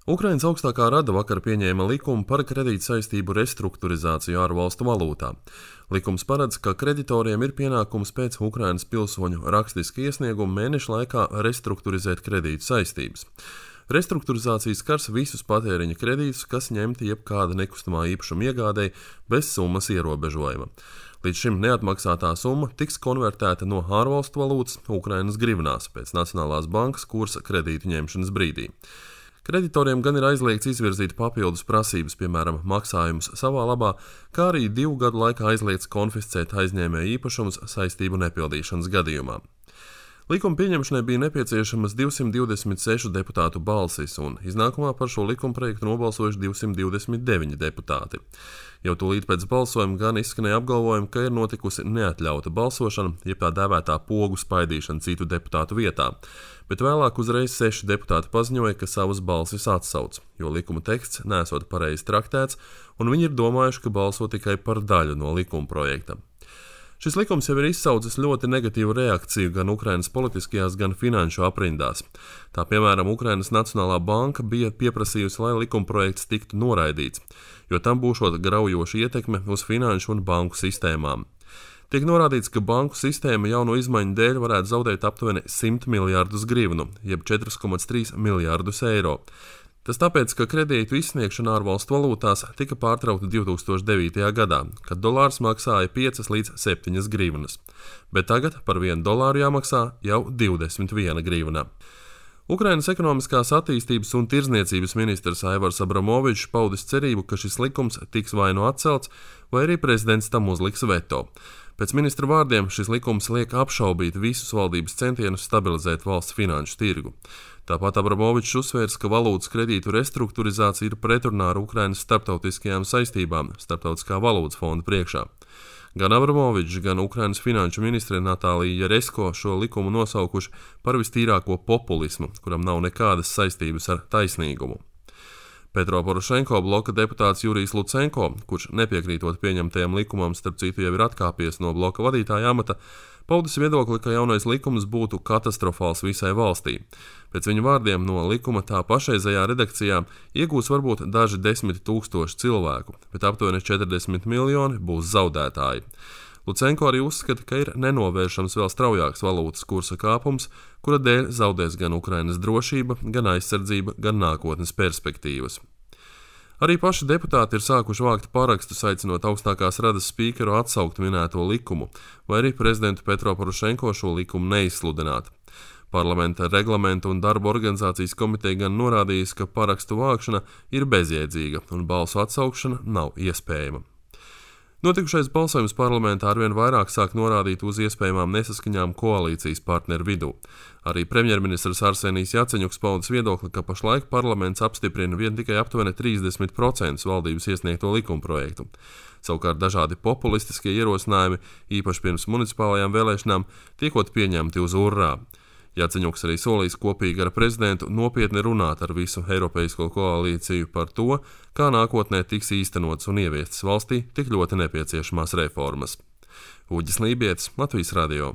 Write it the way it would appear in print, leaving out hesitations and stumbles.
Ukrainas augstākā rada vakar pieņēma likumu par kredītsaistību restruktūrizāciju ārvalstu valūtā. Likums paredz, ka kreditoriem ir pienākums pēc Ukrainas pilsoņu rakstiska iesnieguma mēneša laikā restruktūrizēt kredītu saistības. Restruktūrizācija skars visus patēriņa kredītus, kas ņemti jebkāda nekustamā īpašuma iegādei bez summas ierobežojuma. Līdz šim neatmaksātā summa tiks konvertēta no ārvalstu valūtas Ukrainas grivnās pēc Nacionālās bankas kursa kredītu ņemšanas brīdī. Kreditoriem gan ir aizliegts izvirzīt papildus prasības, piemēram, maksājumus savā labā, kā arī 2 gadu laikā aizliegts konfiscēt aizņēmēju īpašumus saistību nepildīšanas gadījumā. Likuma pieņemšanai bija nepieciešamas 226 deputātu balsis, un iznākumā par šo likumprojektu nobalsojuši 229 deputāti. Jau tūlīt pēc balsojuma gan izskanēja apgalvojumi, ka ir notikusi neatļauta balsošana, jeb tā dēvētā pogu spaidīšana citu deputātu vietā, bet vēlāk uzreiz 6 deputāti paziņoja, ka savas balsis atsauc, jo likuma teksts nesot pareizi traktēts, un viņi ir domājuši, ka balso tikai par daļu no likuma projekta. Šis likums jau ir izsaucis ļoti negatīvu reakciju gan Ukrainas politiskajās, gan finanšu aprindās. Tā piemēram, Ukrainas Nacionālā banka bija pieprasījusi, lai likumprojekts tiktu noraidīts, jo tam būšot graujoša ietekme uz finanšu un banku sistēmām. Tiek norādīts, ka banku sistēma jauno izmaiņu dēļ varētu zaudēt aptuveni 100 miljārdus grivnu, jeb 4,3 miljārdus eiro. Tas tāpēc, ka kredītu izsniegšana ārvalstu valūtās tika pārtraukta 2009. gadā, kad dolārs maksāja 5 līdz 7 grivnas, bet tagad par $1 jāmaksā jau 21 grivna. Ukrainas ekonomiskās attīstības un tirdzniecības ministrs Aivars Abramovičs paudis cerību, ka šis likums tiks vai nu atcelts, vai arī prezidents tam uzliks veto. Pēc ministra vārdiem šis likums liek apšaubīt visus valdības centienus stabilizēt valsts finanšu tirgu. Tāpat Abramovičs uzsvērs, ka valūtas kredītu restruktūrizācija ir pretrunā ar Ukrainas starptautiskajām saistībām Starptautiskā valūtas fonda priekšā. Gan Abramovičs, gan Ukrainas finanšu ministre Natālija Jaresko šo likumu nosaukuši par vistīrāko populismu, kuram nav nekādas saistības ar taisnīgumu. Petro Porošenko bloka deputāts Jurijs Lucenko, kurš nepiekrītot pieņemtajam likumam, starp citu jau ir atkāpies no bloka vadītāja amata, paudis viedokli, ka jaunais likums būtu katastrofāls visai valstī. Pēc viņa vārdiem no likuma tā pašreizējā redakcijā iegūs varbūt daži 10 000 cilvēku, bet aptuveni 40 miljoni būs zaudētāji. Lucenko arī uzskata, ka ir nenovēršams vēl straujāks valūtas kursa kāpums, kura dēļ zaudēs gan Ukrainas drošība, gan aizsardzība, gan nākotnes perspektīvas. Arī paši deputāti ir sākuši vākt parakstus, aicinot augstākās radas spīkeru atsaukt minēto likumu, vai arī prezidentu Petro Porošenko šo likumu neizsludināt. Parlamenta reglamentu un darba organizācijas komiteja gan norādījis, ka parakstu vākšana ir bezjēdzīga un balsu atsaukšana nav iespējama. Notikušais balsojums parlamentā arvien vairāk sāk norādīt uz iespējamām nesaskaņām koalīcijas partneru vidū. Arī premjerministrs Arsenijs Jaceņuks paudis viedokli, ka pašlaik parlaments apstiprina vien tikai aptuveni 30% valdības iesniegto likumprojektu. Savukārt dažādi populistiskie ierosinājumi, īpaši pirms municipālajām vēlēšanām, tiekot pieņemti uz urrā. Jaceņuks arī solīs kopīgi ar prezidentu nopietni runāt ar visu Eiropeisko koalīciju par to, kā nākotnē tiks īstenots un ieviestas valstī tik ļoti nepieciešamās reformas. Uģis Lībietis, Latvijas radio.